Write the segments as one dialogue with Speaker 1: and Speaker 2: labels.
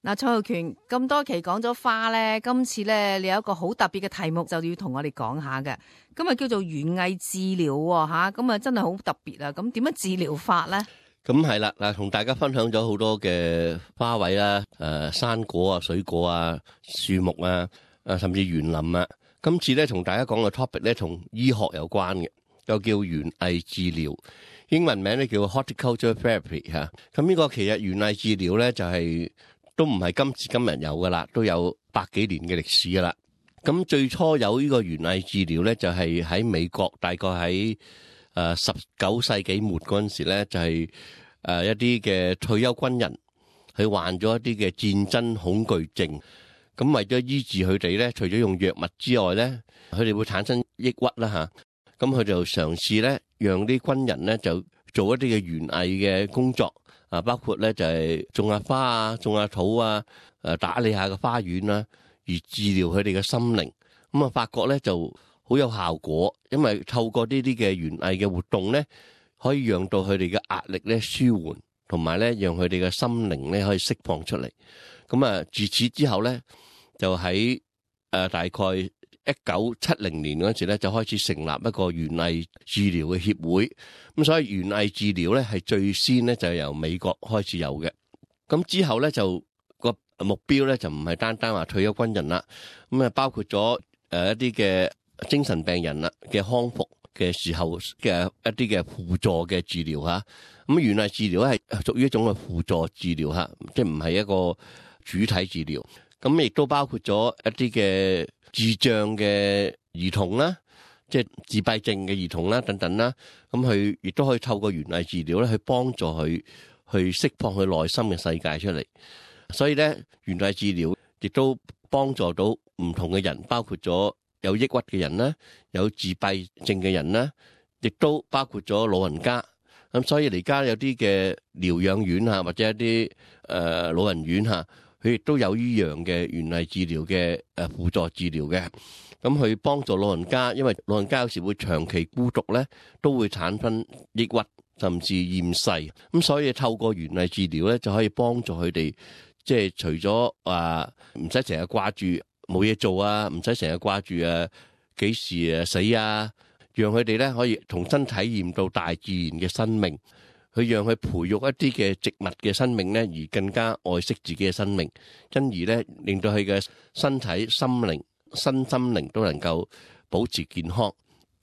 Speaker 1: 嗱，蔡浩權咁多期講咗花咧，今次咧你有一個好特別嘅題目就要同我哋講下嘅，今日叫做園藝治療吓，咁啊真係好特別啊！咁點樣治療法咧？
Speaker 2: 咁係啦，嗱，同大家分享咗好多嘅花卉啦，生果啊、水果啊、樹木啊，甚至園林啊。今次咧同大家講嘅 topic 咧，同醫學有關嘅，又叫園藝治療，英文名咧叫 horticulture therapy 吓。咁呢個其實園藝治療咧就係都唔係今時今日有噶啦，都有百幾年嘅歷史噶啦。咁最初有呢個園藝治療咧，就係喺美國，大概喺19世紀末嗰陣時咧，就係一啲嘅退休軍人，佢患咗一啲嘅戰爭恐懼症。咁為咗醫治佢哋咧，除咗用藥物之外咧，佢哋會產生抑鬱啦吓。咁佢就嘗試咧，讓啲軍人咧就做一啲嘅園藝嘅工作。包括咧就係種下花啊，種下土啊，打理下個花園啦，而治療佢哋嘅心靈。咁啊，發覺咧就好有效果，因為透過呢啲嘅園藝嘅活動咧，可以讓到佢哋嘅壓力咧舒緩，同埋咧讓佢哋嘅心靈咧可以釋放出嚟。咁啊，自此之後咧，就喺大概1970年嗰時咧，就開始成立一個園藝治療嘅協會。咁所以園藝治療咧係最先咧就係由美國開始有嘅。咁之後咧就個目標咧就唔係單單話退休軍人啦，咁啊包括咗一啲嘅精神病人啦嘅康復嘅時候嘅一啲嘅輔助嘅治療吓。咁園藝治療咧係屬於一種嘅輔助治療吓，即係唔係一個主體治療。咁亦都包括咗一啲嘅智障嘅兒童啦，即係自閉症嘅兒童啦，等等啦。咁佢亦都可以透過園藝治療咧，去幫助佢去釋放佢內心嘅世界出嚟。所以咧，園藝治療亦都幫助到唔同嘅人，包括咗有抑鬱嘅人啦，有自閉症嘅人啦，亦都包括咗老人家。咁所以而家有啲嘅療養院啊，或者一啲老人院嚇，佢亦都有依樣嘅園藝治療嘅輔助治療嘅。咁去幫助老人家，因為老人家有時會長期孤獨咧，都會產生抑鬱甚至厭世。咁所以透過園藝治療咧，就可以幫助佢哋，即係除咗話唔使成日掛住冇嘢做啊，唔使成日掛住幾時死啊，讓佢哋咧可以重新體驗到大自然嘅生命，去讓佢培育一啲嘅植物嘅生命咧，而更加愛惜自己嘅生命，因而咧令到佢嘅身體、身心靈都能夠保持健康。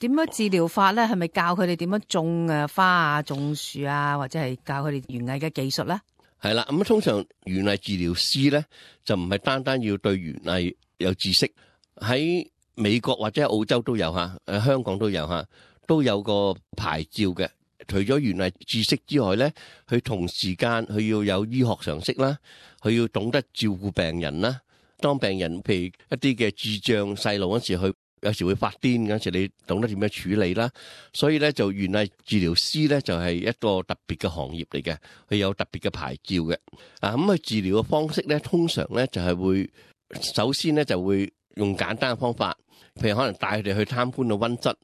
Speaker 1: 點樣治療法咧？係咪教佢哋點樣種花啊、種樹啊，或者係教佢哋園藝嘅技術咧？
Speaker 2: 係啦，咁通常園藝治療師咧就唔係單單要對園藝有知識，喺美國或者澳洲都有吓，香港都有吓，都有個牌照嘅。除咗園藝知識之外咧，佢同時間佢要有醫學常識啦，佢要懂得照顧病人啦。當病人譬如一啲嘅智障細路嗰時，佢有時會發癲嗰時，你懂得點樣處理啦。所以咧，就園藝治療師咧就係一個特別嘅行業嚟嘅，佢有特別嘅牌照嘅。咁佢治療嘅方式咧，通常咧就係會首先咧就會用簡單嘅方法，譬如可能帶佢哋去參觀個溫室，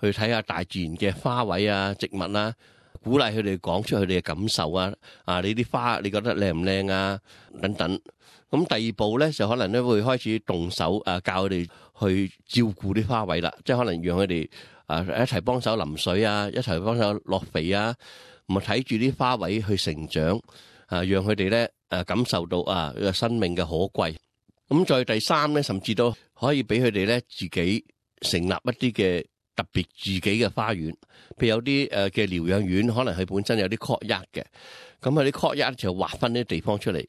Speaker 2: 去睇下大自然嘅花卉啊、植物啊，鼓勵佢哋講出佢哋嘅感受啊。你啲花你覺得靚唔靚啊？等等。咁第二步咧就可能咧會開始動手教佢哋去照顧啲花卉啦，即係可能讓佢哋一齊幫手淋水啊，一齊幫手落肥啊，咁啊睇住啲花卉去成長讓佢哋咧感受到個生命嘅可貴。咁再第三咧，甚至都可以俾佢哋咧自己成立一啲嘅特別自己嘅花園，譬如有啲嘅療養院，可能佢本身有啲 courtyard 嘅，咁佢啲 courtyard 就劃分啲地方出嚟，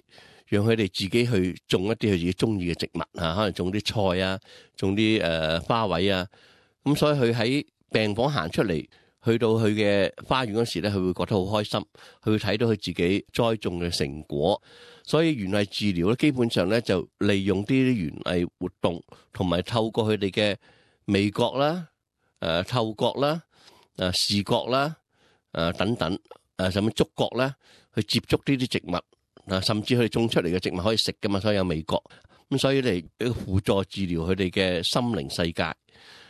Speaker 2: 讓佢哋自己去種一啲佢自己中意嘅植物可能種啲菜啊，種啲花卉啊。咁所以佢喺病房行出嚟，去到佢嘅花園嗰時咧，佢會覺得好開心，佢會睇到佢自己栽種嘅成果。所以園藝治療咧，基本上咧就利用啲園藝活動，同埋透過佢哋嘅味覺啦、嗅覺啦、視覺啦、等等甚至觸覺啦，去接觸呢啲植物。甚至佢哋種出嚟嘅植物可以食噶嘛，所以有味覺。咁所以嚟一個輔助治療佢哋嘅心靈世界。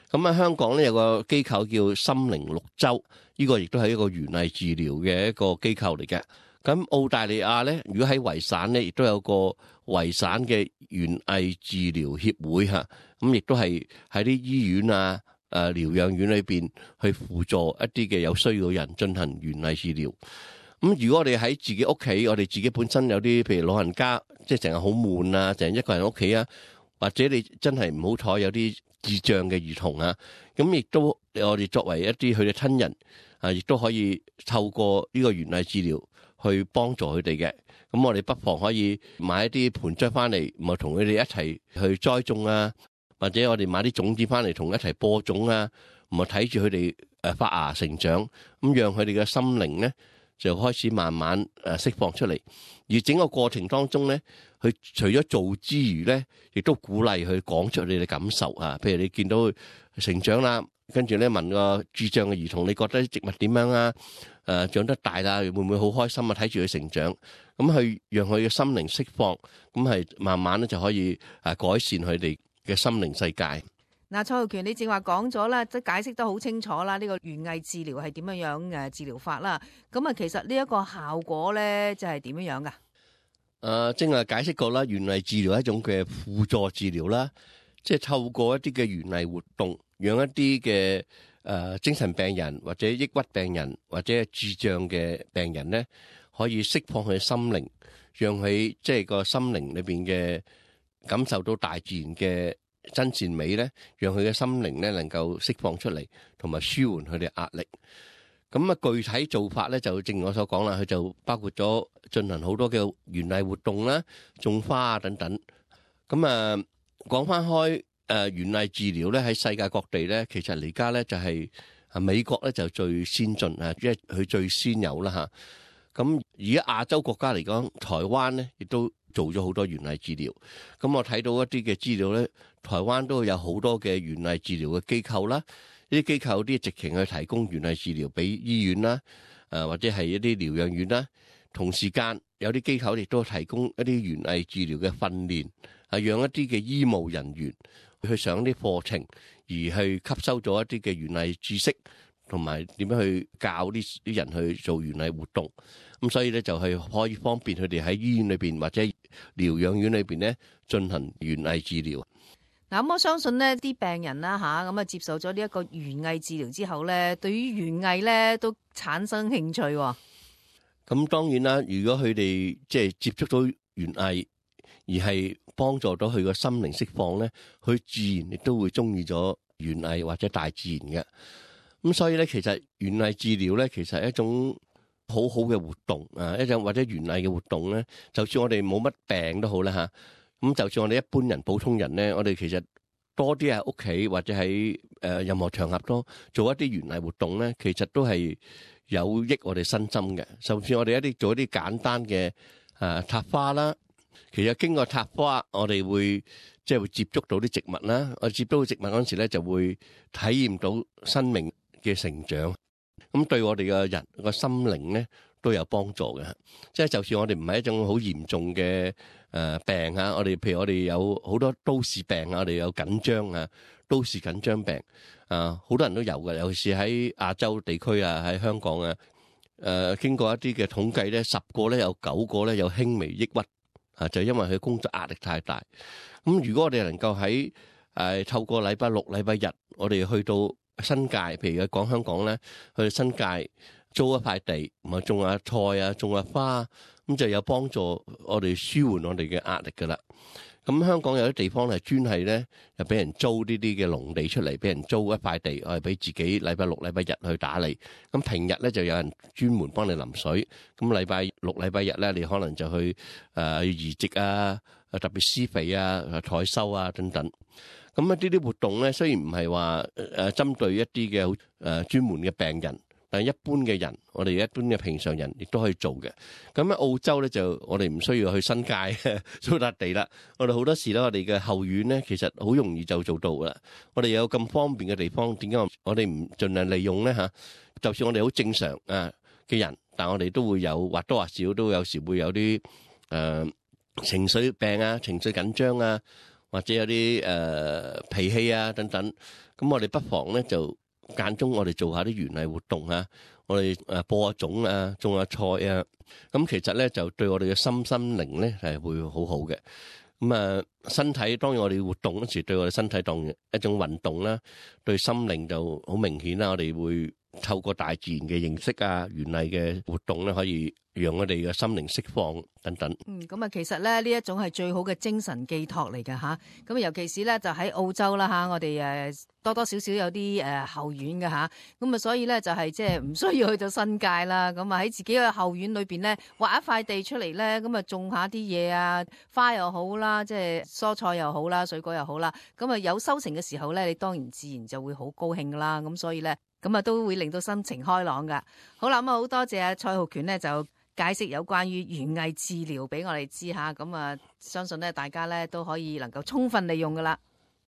Speaker 2: 咁喺香港咧有個機構叫心靈綠洲，呢個亦都係一個園藝治療嘅一個機構嚟嘅。咁澳大利亞咧，如果喺維省咧，亦都有個維省嘅園藝治療協會嚇，咁亦都係喺啲醫院啊、療養院裏邊去輔助一啲嘅有需要嘅人進行園藝治療。咁如果我哋喺自己屋企，我哋自己本身有啲譬如老人家，即係成日好悶啊，成日一個人屋企啊，或者你真係唔好彩有啲智障嘅兒童啊，咁亦都我哋作為一啲佢嘅親人啊，亦都可以透過呢個園藝治療去幫助佢哋嘅。咁我哋不妨可以買一啲盆栽翻嚟，咪同佢哋一齊去栽種啊，或者我哋買啲種子翻嚟同一齊播種啊，咪睇住佢哋發芽成長，咁讓佢哋嘅心靈咧就開始慢慢釋放出嚟。而整個過程當中咧，佢除咗做之餘咧，亦都鼓勵佢講出你嘅感受啊。譬如你見到佢成長啦，跟住咧問個智障嘅兒童，你覺得植物點樣啊？長得大啦，會唔會好開心啊？睇住佢成長，咁去讓佢嘅心靈釋放，咁係慢慢咧就可以改善佢哋嘅心靈世界。
Speaker 1: 嗱，蔡浩權，你正話講咗啦，即係解釋得好清楚啦。呢個園藝治療係點樣樣治療法啦？咁啊，其實呢一個效果咧，就係點樣樣噶？
Speaker 2: 正係解釋過啦，園藝治療係一種嘅輔助治療啦，即係透過一啲嘅園藝活動，讓一啲嘅精神病人或者抑鬱病人或者智障嘅病人咧，可以釋放佢嘅心靈，讓佢即係個心靈裏邊嘅感受到大自然嘅真善美咧，讓佢嘅心靈咧能夠釋放出嚟，同埋舒緩佢哋壓力。咁啊，具體做法咧就正如我所講啦，佢就包括咗進行好多嘅園藝活動啦、種花啊等等。咁啊，講翻開園藝治療咧，喺世界各地咧，其實而家咧就係美國咧就最先進啊，因為佢最先有啦嚇。咁而家亞洲國家嚟講，台灣咧亦都做咗好多園藝治療。咁我睇到一啲嘅資料咧，台灣都有好多嘅園藝治療嘅機構啦。呢啲機構啲直情去提供園藝治療俾醫院啦，或者係一啲療養院啦。同時間有啲機構亦都提供一啲園藝治療嘅訓練，係讓一啲嘅醫務人員去上啲課程，而去吸收咗一啲嘅園藝知識，同埋點樣去教啲人去做園藝活動。咁所以咧就係可以方便佢哋喺醫院裏邊或者療養院裏邊咧進行園藝治療。
Speaker 1: 嗱，咁我相信呢啲病人啦嚇，咁啊接受咗呢一個園藝治療之後咧，對於園藝咧都產生興趣喎。
Speaker 2: 咁當然啦，如果佢哋即係接觸到園藝，而係幫助到佢個心靈釋放咧，佢自然亦都會中意咗園藝或者大自然嘅。咁所以咧，其實園藝治療咧，其實係一種好好嘅活動啊，一種或者園藝嘅活動咧，就算我哋冇乜病都好啦嚇。咁就算我哋一般人、普通人咧，我哋其實多啲喺屋企或者喺任何場合都做一啲園藝活動咧，其實都係有益我哋身心嘅。甚至我哋做一啲簡單嘅插花啦，其實經過插花，我哋會即係會接觸到啲植物啦。我接觸到植物嗰陣時咧，就會體驗到生命嘅成長。咁對我哋嘅人個心靈咧都有幫助嘅。即係就算我哋唔係一種好嚴重嘅病啊，我哋譬如我哋有好多都市病啊，我哋有緊張啊，都市緊張病啊，好多人都有嘅，尤其是喺亞洲地區啊，喺香港啊，經過一啲嘅統計咧，10個咧有9個咧有輕微抑鬱啊，就因為佢工作壓力太大。咁如果我哋能夠喺透過禮拜六、禮拜日，我哋去到新界，譬如講香港咧，去新界租一塊地，唔係種下菜啊，種下花，咁就有幫助我哋舒緩我哋嘅壓力噶啦。咁香港有啲地方係專係咧，又俾人租呢啲嘅農地出嚟，俾人租一塊地，我係俾自己禮拜六、禮拜日去打理。咁平日咧就有人專門幫你淋水。咁禮拜六、禮拜日咧，你可能就去移植啊，特別施肥啊、採收啊等等。咁呢啲活動咧，雖然唔係話針對一啲嘅專門嘅病人，但係一般嘅人，我哋一般嘅平常人亦都可以做嘅。咁喺澳洲咧，就我哋唔需要去新界租笪地啦。我哋好多時咧，我哋嘅後院咧，其實好容易就做到噶啦。我哋有咁方便嘅地方，點解我哋唔盡量利用咧嚇？就算我哋好正常嘅人，但我哋都會有或多或少都有時會有啲情緒病啊、情緒緊張啊，或者有啲脾氣啊等等。咁我哋不妨咧就間中我哋做下啲園藝活動啊，我哋播下種啊，種下菜啊，咁其實咧就對我哋嘅心靈咧係會好好嘅。咁身體當然我哋活動嗰時對我哋身體當然一種運動啦，對心靈就好明顯啦。我哋會透過大自然嘅認識啊，園藝嘅活動咧，可以讓我哋嘅心靈釋放等等。
Speaker 1: 咁啊，其實咧呢一種係最好嘅精神寄託嚟㗎吓。咁尤其是咧就喺澳洲啦吓，我哋多多少少有啲後院嘅吓。咁啊，所以咧就係即係唔需要去到新界啦。咁啊喺自己嘅後院裏邊咧，挖一塊地出嚟咧，咁啊種下啲嘢啊，花又好啦，即係蔬菜又好啦，水果又好啦。咁啊有收成嘅時候咧，你當然自然就會好高興噶啦。咁所以咧，咁啊都會令到心情開朗噶。好啦，咁啊好多謝蔡浩權咧就解釋有關於園藝治療俾我哋知下，咁啊相信咧大家咧都可以能夠充分利用噶啦。